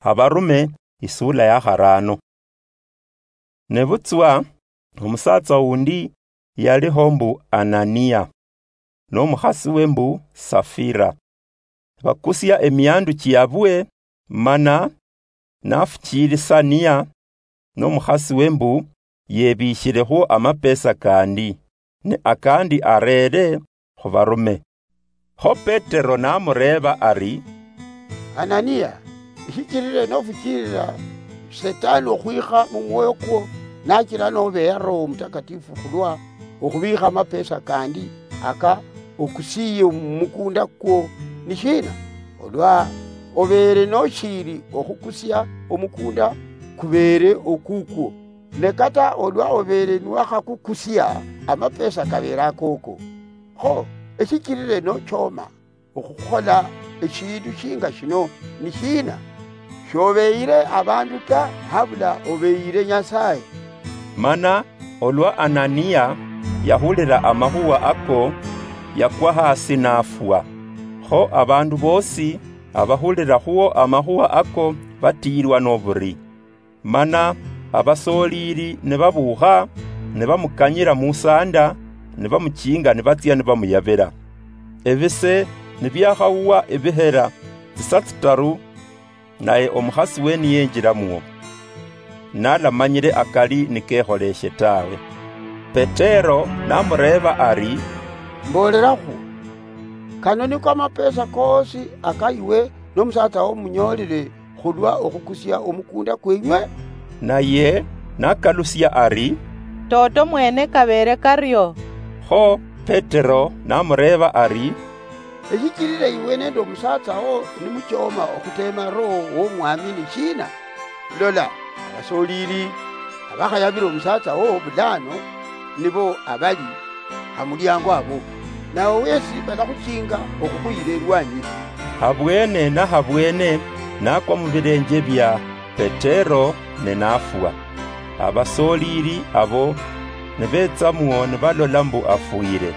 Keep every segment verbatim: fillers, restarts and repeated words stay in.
Abarume, isula ya kharano. Nebutswa omusatsa undi yaliho mbu Anania, nomukhasi we mbu Safira. Bakusia emiandu chiabwe, mana nafuchilisania nomukhasi we mbu yebishilekho amapesa kandi, ne akandi arere khubarume. Kho Petero namureba ari, "Anania, ishichirire nofuchirira Setani okhwikha mumwoyo kwo, nachira nobeya Roho Mutakatifu khulwa okhubikha amapesa kandi aka okusiye mumukunda kwo ni shina? Olwa obeere noshiri okhukusia omukunda kubeere okukwo, ne kata olwa obeere niwakhakukusia, amapesa kabeere akoko. Kho eshichirire nochoma okhukhola eshindu shinga shino ni shina? Shobeyire abandu ta, habula obeyire Nyasaye." Mana olwa Anania yahulira amakhuwa ako, yakwa hasi nafwa. Kho abandu bosi abahulira khuwo amakhuwa ako batiyirwa noburi. Mana abasolili nibabuukha, nibamukanyira musanda, nibamuchinga nibatsia nibamuyabira. Ebise nibiakhauwa ebihera tsisa tsitaru, naye omukhasi we niyenjiramwo, nalamanyire akali nikekholeshe tawe. Petero namureba ari, "Mbolerakhu, kano niko amapesa koosi aka iwe nomusatsa wo munyolile khulwa okhukusia omukunda kwenywe?" Naye nakalusia ari, "Toto mwene kabeere kario." Kho Petero namureba ari, "Eshichirira iwe nende omusatsa wo nimuchoma okhutema Roho womwami ni shina? Lola, abasolili abakhayabira omusatsa wo bulano nibo abali hamuliango abo, nawe wesi balakhuchinga okhukhuyira elwanyi." Habwene na habwene nakwa mubilenje bia Petero ne nafwa. Abasolili abo nibetsamwo nibalola mbu afwire.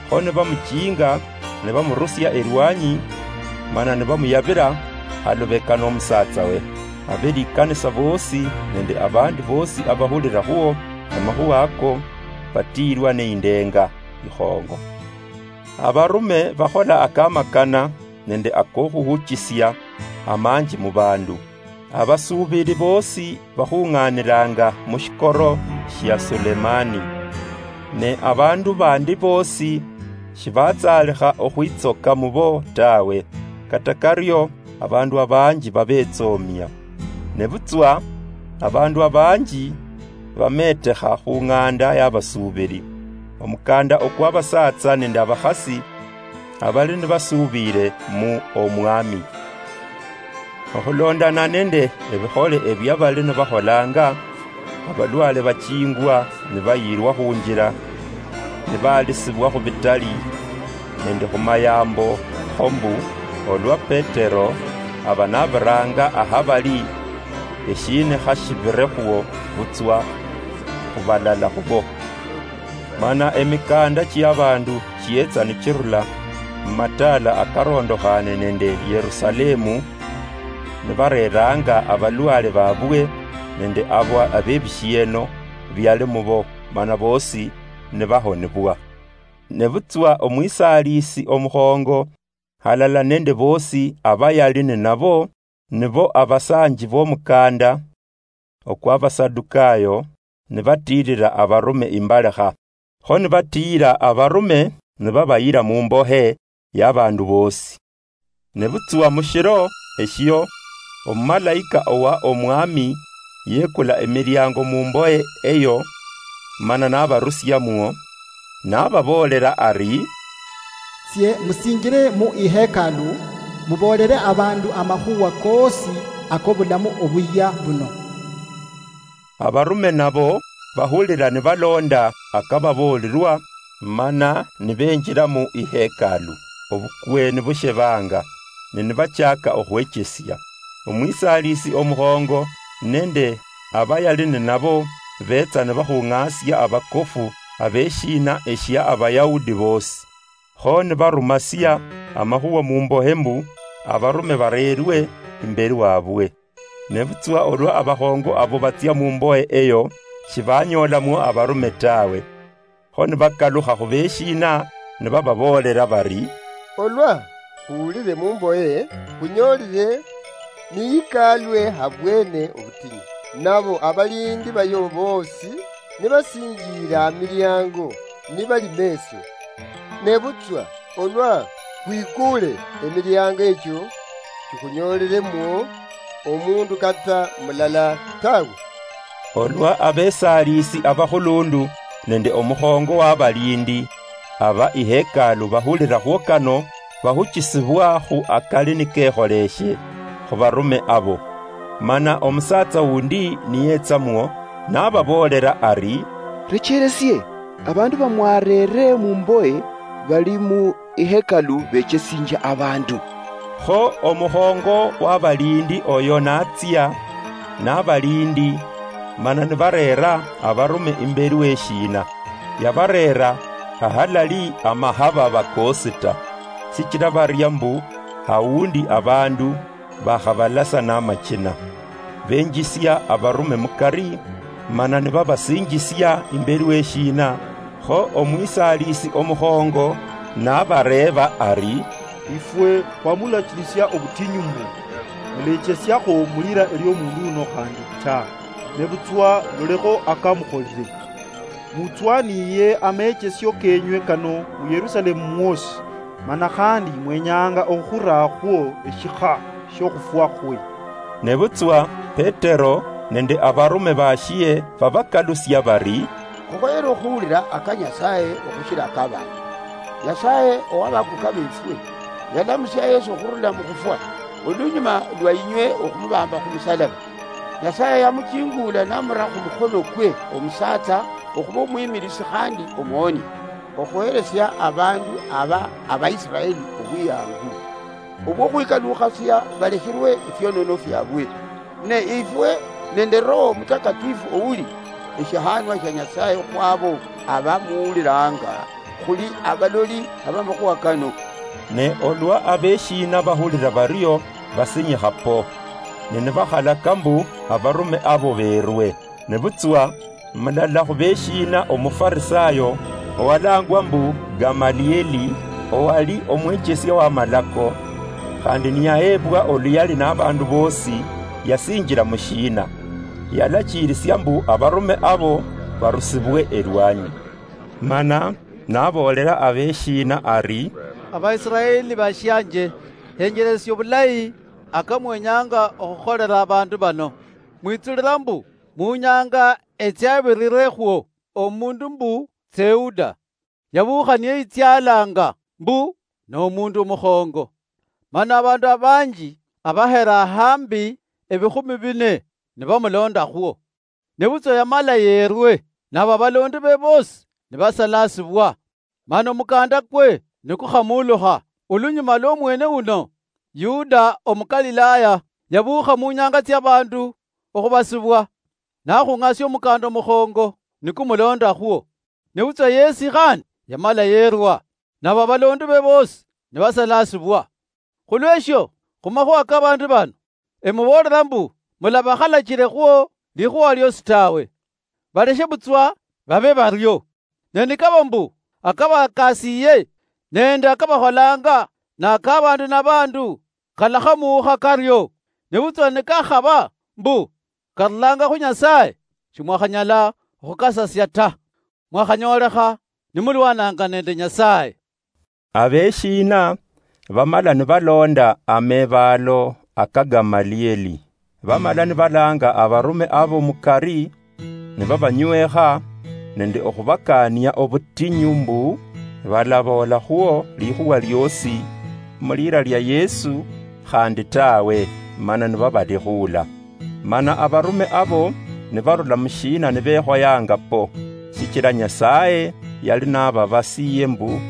Kho nibamuchinga, nibamurusia elwanyi, mana nibamuyabira halubeka nomusatsa we. Abelikanisa bosi nende abandi bosi abahulira khuwo amakhuwa ako, batiirwa neindenga ikhongo. Abarume bakhola akamakana nende akokhuhuchisia amanji mubandu. Abasuubili boosi bakhung'aanilanga mushikoro shia Sulemani. Ne abaandu baandi boosi shibatsaalikha okhwitsoka mubo tawe, kata kario abaandu abanji babetsoomia. Nebutswa abaandu abanji bameetekha khu ng'anda y'abasuubili, omukanda okw'abasaatsa nende abakhasi abali nibasuubiile mu Omwami. Okhulondana nende ebikhole ebia bali nibakholanga, abalwale bachiingwa nibayilwa khunjila, nibaalisibwa khubitali nende khumayaambo, kho mbu olwa Petero aba nabiraanga ahabali, eshiinikha shibirekhwo butswa khubalala khubo. Mana emikaanda chiabaandu chietsa nichirula mumataala akarondokhane nende Yerusalemu, nibareeranga abalwale babwe nende abo abebishieno biali mubo, mana boosi nibahonibwa. Nebutswa omwisaalisi omukhongo, halala nende boosi abayali ninabo, nibo abasaanji b'omukanda okw'Abasadukaayo, nibatiilira abarume imbalekha. Kho nibatiira abarume, nibabayira mumbohe y'abaandu boosi. Nebutswa mushiro eshio, omumalaika owa Omwami yekula emiliango mumbohe eyo, mana nabarusiamwo, nababoolera ari, "Tsie musinjire mu ihekalu, muboolere abaandu amakhuwa koosi akobulamu obuyia buno." Abarume nabo bahulira nibaloonda akababoolirwa, mana nibenjira mu ihekalu, obukwe nibushebanga, ne nibachaaka okhwechesia. Omwisaalisi omukhongo nende abayali ninabo beetsa nibakhung'aasia abakofu abeshiina eshia Abayahudi boosi. Kho nibarumasia amakhuwa mumbohe mbu abarume bareerwe imberi wabwe. Nebutswa olwa abakhongo abo batsia mumboye eyo, shibanyoolamwo abarume tawe. Kho nibakalukha khubeshiina, nibababoolera bari, "Olwa khuwulire mumboye, khunyoolire niyikaalwe habwene obutinyu, nabo abalindi bayo boosi nibasinjiire amiliango nibali meeso. Nebutswa olwa khwikuule emiliango ekyo, shikhunyooliremwo omundu kata mulala tawe." Olwa abesaalisi abakhulundu nende omukhongo w'abalindi aba ihekalu bahulirakhwo kano, bahuchisibwa khu akali nikekholeshe khu barume abo. Mana omusaatsa wundi niyetsamwo, nababoolera ari, "Recheresie, abandu bamwareere mumboye bali mu ihekalu bechesinjia abandu." Kho omukhongo w'abalindi oyo natsia n'abalindi, mana nibareera abarume imberi w'eshiina. Yabareera ahalali amahaba bakoosi ta, sichila baria mbu hawundi abandu bakhabalasa namachina. Benjisia abarume mukari, mana nibabasinjisia imberi w'eshiina. Kho omwisaalisi omukhongo nabareeba ari, "Ifwe khwamulachilisia obutinyu mbu mulechesiakho mulira eliomundu uno khandi ta, nebutswa lolekho akamukholire. Mutswaniye amechesio kenywe kano mu Yerusalemu mwosi, mana khandi mwenyanga okhurakhwo eshikha shiokhufwa khwe." Nebutswa Petero nende abarume bashie babakalusia bari, "Khukhoyere okhuwulira aka Nyasaye okhushira aka abandu. Nyasaye owabakuka befwe yalamusia Yesu okhurula mukhufwa, olunyuma lwa inywe okhumubamba khumusalaba. Nyasaye yamuchingula namura khumukhonokwe omusatsa okhuba omwimilisi khandi omuhoni, okhuheresia abandu aba Abaisraeli obwiyangu, obwokhwikalukhasia balekhirwe efionono fiabwe. Ne ifwe nende Roho Mutakatifu ouli eshihanwa shia Nyasaye khwabo abamuwuliranga, khuli abaloli abamakhuwa kano." Ne olwa abeshiina bahulira bario, basinyikha po, ne nibakhalaka mbu abarume abo berwe. Nebutswa mulala khubeshiina Omufarisayo, owalangwa mbu Gamalieli, owali omwechesia w'amalako, khandi niyaheebwa oluyali nabandu boosi, yasinjila mushiina. Yalachiirisia mbu abarume abo barusibwe elwanyi. Mana naboolera abeshiina ari, "Abaisiraeli bashianje, henjeresia obulayi aka mwenyanga okhukholera abandu bano. Mwitsulira mbu munyanga etsiabirire khwo omundu mbu Teuda, yabuukha niyeyitsyalanga mbu nomundu omukhongo. Mana abandu abanji abahera hambi ebikhumi bine nibamulondakhwo. Nebutswa yamala yerwe, nabo abalondi be bosi nibasalasibwa, mana omukanda kwe nikukhamulukha. Olunyuma lwomwene uno, Yuda Omukalilaya yabuukha munyanga tsiabandu okhubasibwa, nakhung'asia omukanda omukhongo nikumulondakhwo. Nebutswa yesi khandi yamala yerwa, nabo abalondi be bosi nibasalasibwa. Khulweshio, khumakhuwa kabandu bano, emuboolera mbu mulabakhalachire khwo likhuwa liosi tawe. Baleshe butswa babe bario. Ne nikaba mbu akabakasiye nende akabakholanga nakabandu nabandu, kalakhamuukha kario. Nebutswa nikakhaba mbu karulanga khu Nyasaye, shimwakhanyala okhukasasia ta. Mwakhanyoolekha nimulwananga nende Nyasaye." Abeshiina bamala nibalonda amebaalo aka Gamalieli. Bamala nibalanga abarume abo mukari, nibabanywekha nende okhubakaania obutinyu mbu balaboolakhwo likhuwa liosi mulira lia Yesu khandi tawe, mana nibabalikhuula. Mana abarume abo nibarula mushiina nibekhoyanga po, shichila Nyasaye yali nababasiye mbu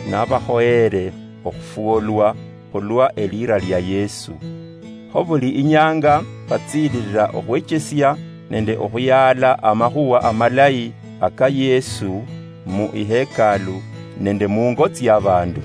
nabakhoyere okhufwolwa khulwa elira lia Yesu. Kho buli inyanga batsililila okhwechesia nende okhuyaala amakhuwa amalayi aka Yesu mu ihekalu nende mungo tsiabandu.